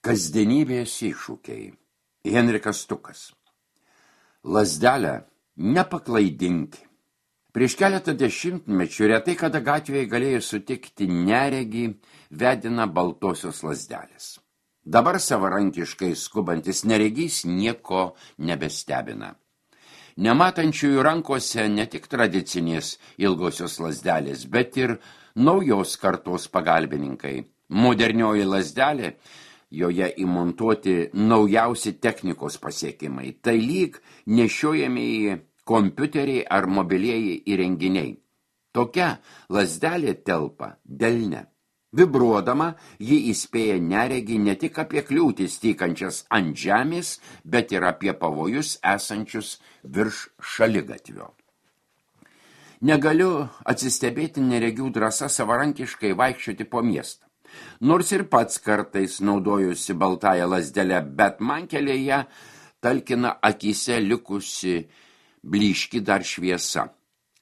Kasdienybės iššūkiai. Henrikas Stukas. Lazdelę nepaklaidinki. Prieš keletą dešimtmečių retai kada gatvėje galėjo sutikti neregį vediną baltosios lazdelės. Dabar savarankiškai skubantis neregys nieko nebestebina. Nematančiųjų rankose ne tik tradicinės ilgosios lazdelės, bet ir naujos kartos pagalbininkai. Modernioji lazdelė, joje įmontuoti naujausi technikos pasiekimai. Tai lyg nešiojamieji kompiuteriai ar mobilieji įrenginiai. Tokia lazdelė telpa delne. Vibruodama, ji įspėja neregį ne tik apie kliūtis tykančias ant žemės, bet ir apie pavojus esančius virš šaligatvio. Negaliu atsistebėti neregių drąsa savarankiškai vaikščioti po miestą. Nors ir pats kartais naudojusi baltąją lazdelę, bet man kelyje talkina akyse likusi blyški dar šviesa.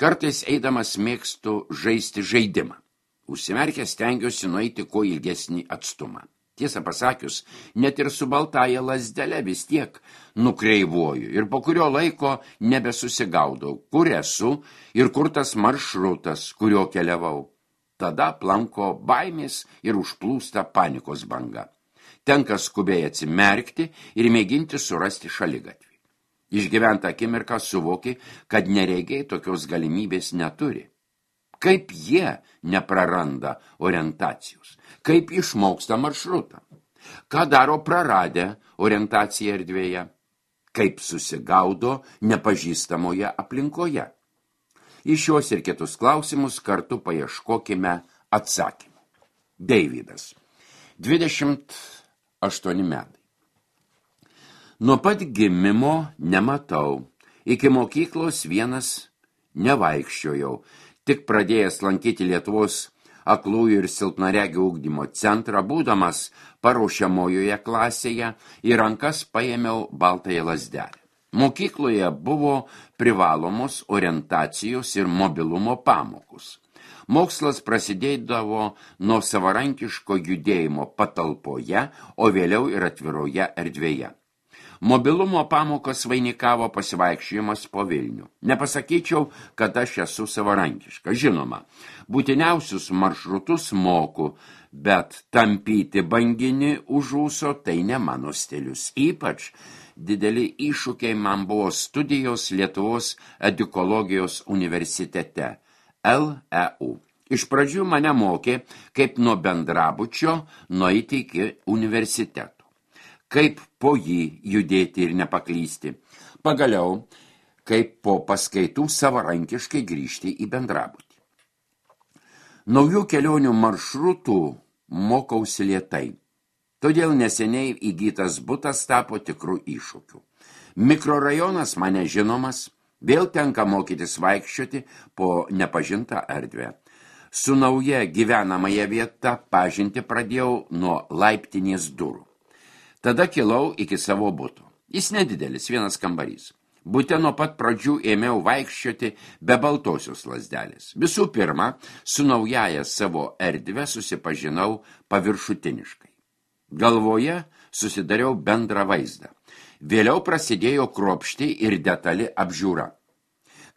Kartais eidamas mėgstu žaisti žaidimą. Užsimerkęs stengiuosi nueiti kuo ilgesnį atstumą. Tiesą pasakius, net ir su baltąja lazdele vis tiek nukreivuoju ir po kurio laiko nebesusigaudau, kur esu ir kur tas maršrutas, kurio keliavau. Tada planko baimės ir užplūsta panikos banga. Tenka skubiai atsimerkti ir mėginti surasti šaligatvį. Išgyventą akimirką suvoki, kad neregiai tokios galimybės neturi. Kaip jie nepraranda orientacijos? Kaip išmoksta maršrutą? Ką daro praradę orientaciją erdvėje? Kaip susigaudo nepažįstamoje aplinkoje? Į šios ir kitus klausimus kartu paieškokime atsakymą. Deividas, 28 metai. Nuo pat gimimo nematau. Iki mokyklos vienas nevaikščiojau. Tik pradėjęs lankyti Lietuvos aklųjų ir silpnaregių ugdymo centrą, būdamas paruošiamojoje klasėje, į rankas paėmiau baltąją lazdelę. Mokykloje buvo privalomos orientacijos ir mobilumo pamokos. Mokslas prasidėdavo nuo savarankiško judėjimo patalpoje, o vėliau ir atviroje erdvėje. Mobilumo pamokas vainikavo pasivaikščiojimas po Vilnių. Nepasakyčiau, kad aš esu savarankiška. Žinoma, būtiniausius maršrutus moku, bet tampyti banginį už ūso tai ne mano stilius. Ypač dideli iššūkiai man buvo studijos Lietuvos edukologijos universitete, LEU. Iš pradžių mane mokė, kaip nuo bendrabučio nueiti iki universiteto. Kaip po jį judėti ir nepaklysti. Pagaliau, kaip po paskaitų savarankiškai grįžti į bendrabutį. Naujų kelionių maršrutų mokausi lėtai. Todėl neseniai įgytas butas tapo tikrų iššūkių. Mikrorajonas mane žinomas, vėl tenka mokytis vaikščioti po nepažintą erdvę. Su nauja gyvenamąja vieta pažinti pradėjau nuo laiptinės durų. Tada kilau iki savo buto. Jis nedidelis, vienas kambarys. Bute nuo pat pradžių ėmiau vaikščioti be baltosios lazdelės. Visų pirma, su naujaja savo erdve susipažinau paviršutiniškai. Galvoje susidariau bendrą vaizdą. Vėliau prasidėjo kruopšti ir detali apžiūra.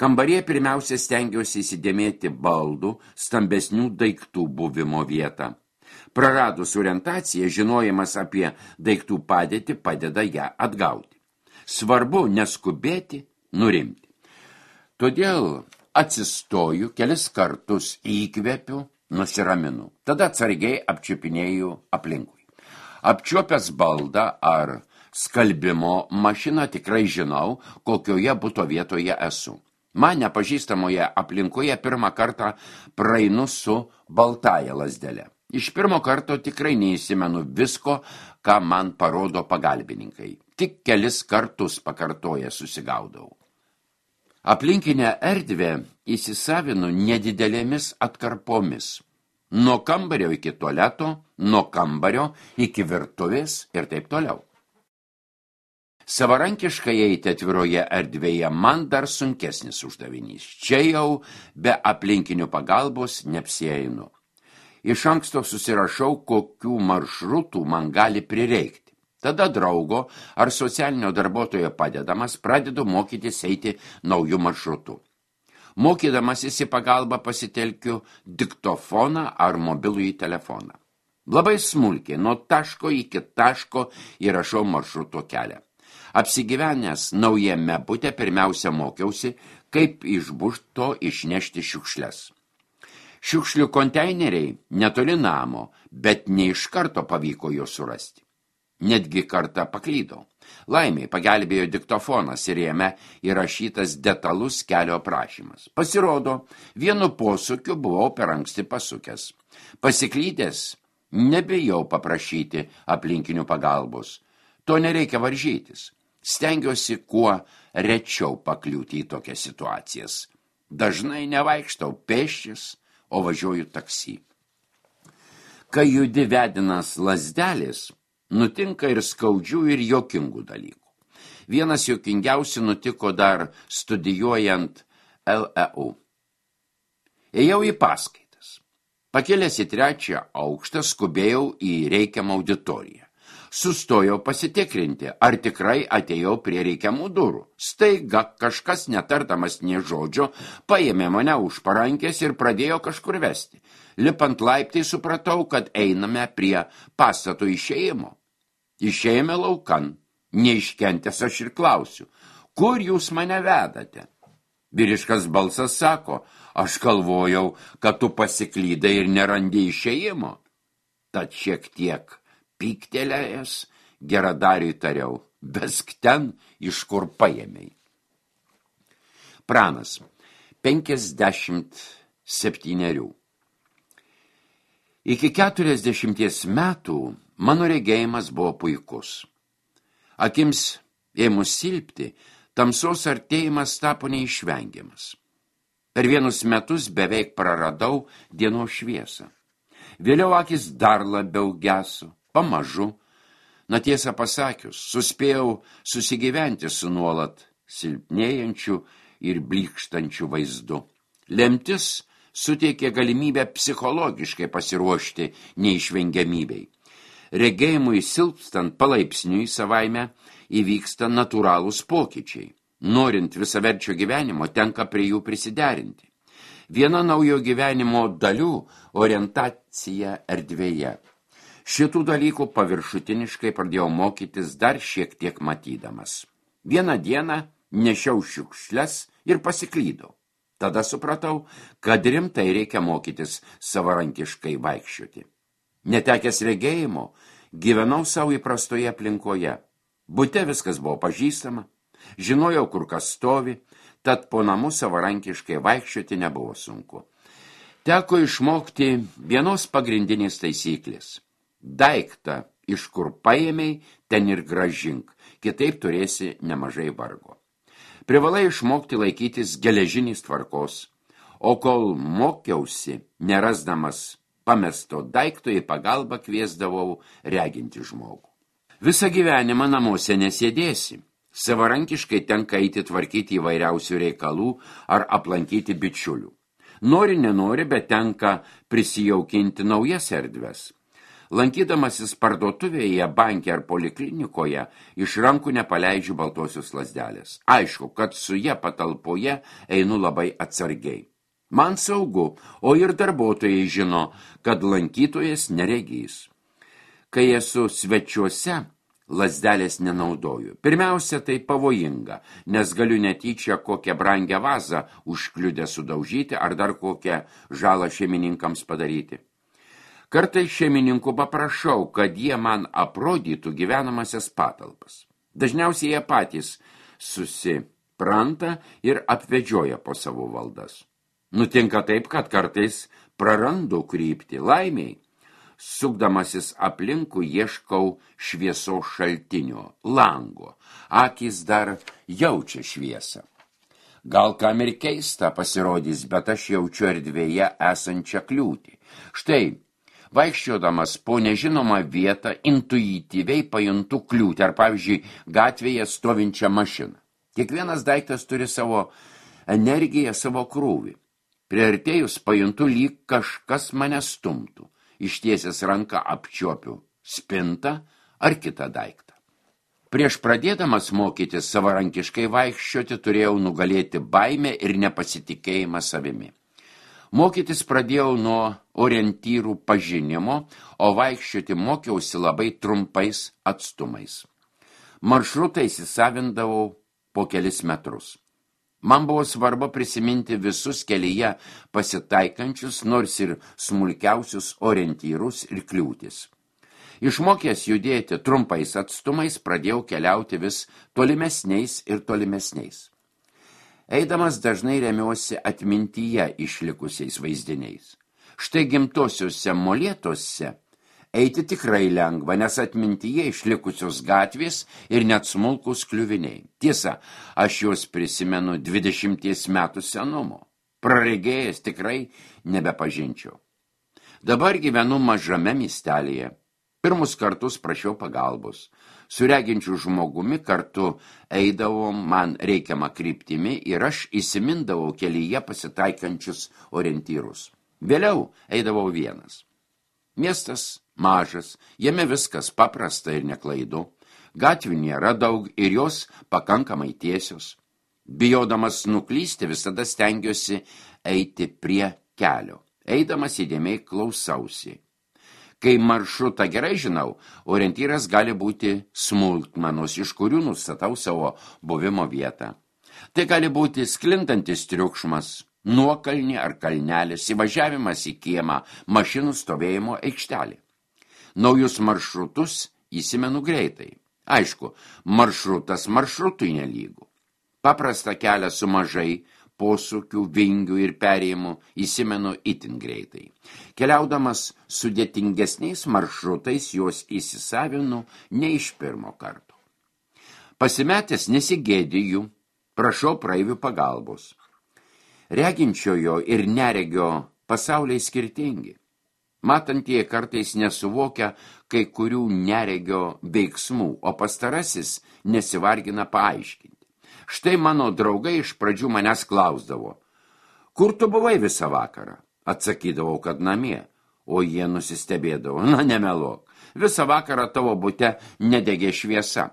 Kambaryje pirmiausia stengiausi įsidėmėti baldų, stambesnių daiktų buvimo vietą. Praradus orientaciją, žinojimas apie daiktų padėtį padeda ją atgauti. Svarbu neskubėti, nurimti. Todėl atsistoju, kelis kartus įkvepiu, nusiraminu. Tada atsargiai apčiupinėju aplinkui. Apčiuopęs baldą ar skalbimo mašiną tikrai žinau, kokioje buto vietoje esu. Man nepažįstamoje aplinkoje pirmą kartą praeinu su baltąja lazdele. Iš pirmo karto tikrai neįsimenu visko, ką man parodo pagalbininkai. Tik kelis kartus pakartoję susigaudau. Aplinkinę erdvę įsisavinu nedidelėmis atkarpomis. Nuo kambario iki tualeto, nuo kambario iki virtuvės ir taip toliau. Savarankiškai eiti atviroje erdvėje man dar sunkesnis uždavinys. Čia jau be aplinkinių pagalbos neapsieinu. Iš anksto susirašau, kokių maršrutų man gali prireikti. Tada draugo ar socialinio darbuotojo padedamas pradedu mokytis eiti naujų maršrutų. Mokydamasis į pagalbą pasitelkiu diktofoną ar mobilųjį telefoną. Labai smulkiai, nuo taško iki taško įrašau maršruto kelią. Apsigyvenęs naujame bute pirmiausia mokiausi, kaip iš būsto išnešti šiukšles. Šiukšlių konteineriai netoli namo, bet ne iš karto pavyko jo surasti. Netgi kartą paklydau. Laimiai pagelbėjo diktofonas ir jame įrašytas detalus kelio aprašymas. Pasirodo, vienu posūkiu buvau per anksti pasukęs. Pasiklydęs, nebijau paprašyti aplinkinių pagalbos. To nereikia varžytis. Stengiuosi kuo rečiau pakliūti į tokias situacijas. Dažnai nevaikštau pėsčias, o važiuoju taksi. Kai judi vedinas lazdelės, nutinka ir skaudžių ir jokingų dalykų. Vienas jokingiausių nutiko dar studijuojant LEU. Ėjau į paskaitas. Pakėlęs į 3. aukštą skubėjau į reikiamą auditoriją. Sustojau pasitikrinti, ar tikrai atėjau prie reikiamų durų. Staiga kažkas, netardamas nė žodžio, paėmė mane už parankės ir pradėjo kažkur vesti. Lipant laiptai supratau, kad einame prie pastato išėjimo. Išėjome laukan. Neiškentęs aš ir klausiu, kur jūs mane vedate? Vyriškas balsas sako, aš galvojau, kad tu pasiklydai ir nerandi išėjimo. Tad šiek tiek pyktelėjęs, geradariui tariau, besk ten, iš kur paėmei. Pranas, 57. Iki 40 metų mano regėjimas buvo puikus. Akims ėmus silpti, tamsos artėjimas tapo neišvengiamas. Per vienus metus beveik praradau dienos šviesą. Vėliau akis dar labiau geso. Pamažu, na tiesą pasakius, suspėjau susigyventi su nuolat silpnėjančiu ir blykštančiu vaizdu. Lemtis suteikė galimybę psichologiškai pasiruošti neišvengiamybei. Regėjimui silpstant palaipsniui savaime įvyksta natūralūs pokyčiai. Norint visaverčio gyvenimo, tenka prie jų prisiderinti. Viena naujo gyvenimo dalių – orientacija erdvėje. Šitų dalykų paviršutiniškai pradėjau mokytis dar šiek tiek matydamas. Vieną dieną nešiau šiukšles ir pasiklydau. Tada supratau, kad rimtai reikia mokytis savarankiškai vaikščioti. Netekęs regėjimo, gyvenau savo įprastoje aplinkoje. Bute viskas buvo pažįstama, žinojau, kur kas stovi, tad po namų savarankiškai vaikščioti nebuvo sunku. Teko išmokti vienos pagrindinės taisyklės. Daiktą, iš kur paėmei, ten ir grąžink, kitaip turėsi nemažai vargo. Privalai išmokti laikytis geležinės tvarkos, o kol mokiausi, nerasdamas pamesto daikto, į pagalbą kviesdavau reginti žmogų. Visą gyvenimą namuose nesėdėsi. Savarankiškai tenka eiti tvarkyti įvairiausių reikalų ar aplankyti bičiulių. Nori, nenori, bet tenka prisijaukinti naujas erdves. Lankydamasis parduotuvėje, banke ar poliklinikoje, iš rankų nepaleidžiu baltosios lazdelės. Aišku, kad su ja patalpoje einu labai atsargiai. Man saugu, o ir darbuotojai žino, kad lankytojas neregys. Kai esu svečiuose, lazdelės nenaudoju. Pirmiausia, tai pavojinga, nes galiu netyčia kokią brangią vazą užkliudę sudaužyti ar dar kokią žalą šeimininkams padaryti. Kartais šeimininkų paprašau, kad jie man aprodytų gyvenamasias patalpas. Dažniausiai jie patys susipranta ir apvedžioja po savo valdas. Nutinka taip, kad kartais prarandu kryptį. Laimiai, sukdamasis aplinkui ieškau šviesos šaltinio, lango. Akys dar jaučia šviesą. Gal kam ir keista pasirodys, bet aš jaučiu erdvėje esančią kliūtį. Štai, vaikščiodamas po nežinomą vietą, intuityviai pajuntu kliūtį, ar pavyzdžiui, gatvėje stovinčią mašiną. Kiekvienas daiktas turi savo energiją, savo krūvį. Priartėjus pajuntu, lyg kažkas mane stumtų. ištiesęs ranką apčiuopiu spintą ar kitą daiktą. Prieš pradėdamas mokytis savarankiškai vaikščioti turėjau nugalėti baimę ir nepasitikėjimą savimi. Mokytis pradėjau nuo orientyrų pažinimo, o vaikščioti mokiausi labai trumpais atstumais. Maršrutą įsisavindavau po kelis metrus. Man buvo svarbu prisiminti visus kelyje pasitaikančius, nors ir smulkiausius orientyrus ir kliūtis. Išmokęs judėti trumpais atstumais, pradėjau keliauti vis tolimesniais ir tolimesniais. Eidamas dažnai remiuosi atmintyje išlikusiais vaizdiniais. Štai gimtosiuose molėtuose eiti tikrai lengva, nes atmintyje išlikusios gatvės ir net smulkus kliuviniai. Tiesa, aš juos prisimenu 20 metų senumo. Praregėjęs tikrai nebepažinčiau. Dabar gyvenu mažame miestelėje. Pirmus kartus prašiau pagalbos. Su reginčiu žmogumi kartu eidavom man reikiamą kryptimi ir aš įsimindavau kelyje pasitaikančius orientyrus. Vėliau eidavau vienas. Miestas mažas, jame viskas paprasta ir neklaidu. Gatvių nėra daug ir jos pakankamai tiesios. Bijodamas nuklysti visada stengiuosi eiti prie kelio. Eidamas įdėmiai klausausi. Kai maršrutą gerai žinau, orientyras gali būti smulkmenos, iš kurių nustatau savo buvimo vietą. Tai gali būti sklindantis triukšmas, nuokalnė ar kalnelis, įvažiavimas į kiemą, mašinų stovėjimo aikštelė. Naujus maršrutus įsimenu greitai. Aišku, maršrutas maršrutui nelygų. Paprastą kelią su mažai posūkių, vingių ir perėjimų įsimenu itin greitai. Keliaudamas sudėtingesniais maršrutais juos įsisavinu ne iš pirmo karto. Pasimetęs nesigėdiju, prašau praeivių pagalbos. Reginčiojo ir neregio pasauliai skirtingi. Matantieji kartais nesuvokia kai kurių neregio veiksmų, o pastarasis nesivargina paaiškinti. Štai mano draugai iš pradžių manęs klausdavo, kur tu buvai visą vakarą? Atsakydavau, kad namie, o jie nusistebėdavo, na nemeluok, visą vakarą tavo bute nedegė šviesa.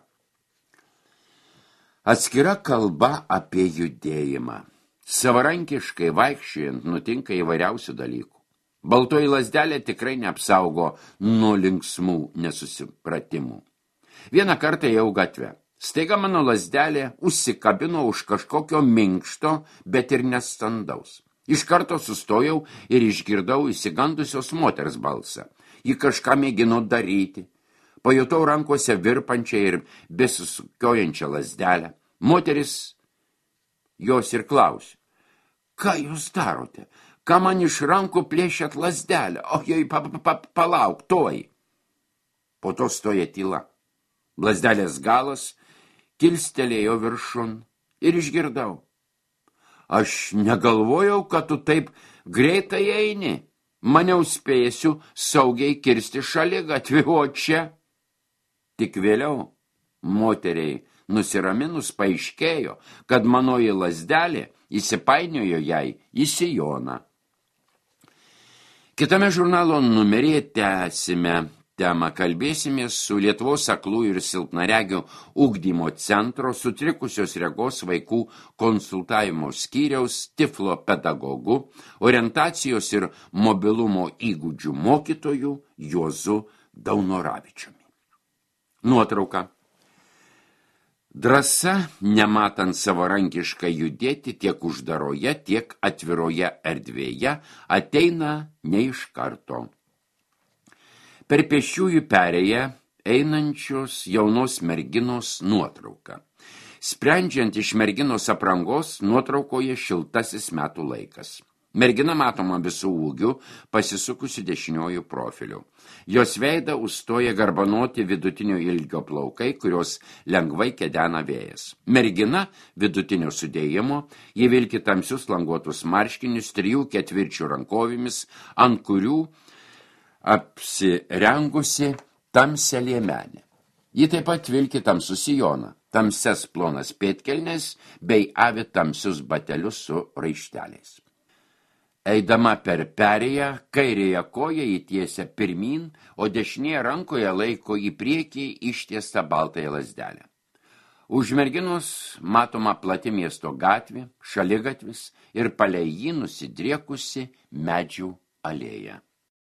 Atskira kalba apie judėjimą. Savarankiškai vaikščiojant nutinka įvairiausių dalykų. Baltoji lazdelė tikrai neapsaugo nuo linksmų nesusipratimų. Vieną kartą ėjau gatvę. Staiga mano lazdelė užsikabino už kažkokio minkšto, bet ir nestandaus. Iš karto sustojau ir išgirdau įsigandusios moters balsą. Ji kažką mėgino daryti. Pajutau rankose virpančią ir besisukiojančią lazdelę. Moteris jos ir klausė. Ką jūs darote? Ką man iš rankų plėšėt lazdelę? O jai palauk, toj. Po to stoja tyla. Lazdelės galas kilstelėjo viršun ir išgirdau. Aš negalvojau, kad tu taip greitai eini. Maniau spėsiu saugiai kirsti šaligatvį, o čia. Tik vėliau moteriai nusiraminus paaiškėjo, kad manoji lazdelė įsipainiojo jai į sijoną. Kitame žurnalo numeryje tęsime temą, kalbėsimės su Lietuvos aklųjų ir silpnaregių ugdymo centro sutrikusios regos vaikų konsultavimo skyriaus tiflo pedagogu, orientacijos ir mobilumo įgūdžių mokytoju Juozu Daunoravičiumi. Nuotrauka. Drąsa, nematant savarankiškai judėti tiek uždaroje, tiek atviroje erdvėje, ateina ne iš karto. Per pėsčiųjų perėją einančios jaunos merginos nuotrauka. Sprendžiant iš merginos aprangos, nuotraukoje šiltasis metų laikas. Mergina matoma visų ūgių, pasisukusi dešiniojų profiliu. Jos veidą užstoja garbanoti vidutinio ilgio plaukai, kurios lengvai kedena vėjas. Mergina vidutinio sudėjimo, ji vilki tamsius languotus marškinius 3/4 rankovėmis, ant kurių apsirengusi tamsią liemenę. Ji taip pat vilki tamsų sijoną, tamsias plonas pėdkelnes bei avi tamsius batelius su raišteliais. Eidama per perėją, kairėje koją įtiesia pirmyn, o dešinėje rankoje laiko į priekį ištiestą baltąją lazdelę. Už merginos matoma plati miesto gatvė, šaligatvis ir palei jį nusidriekusi medžių alėja.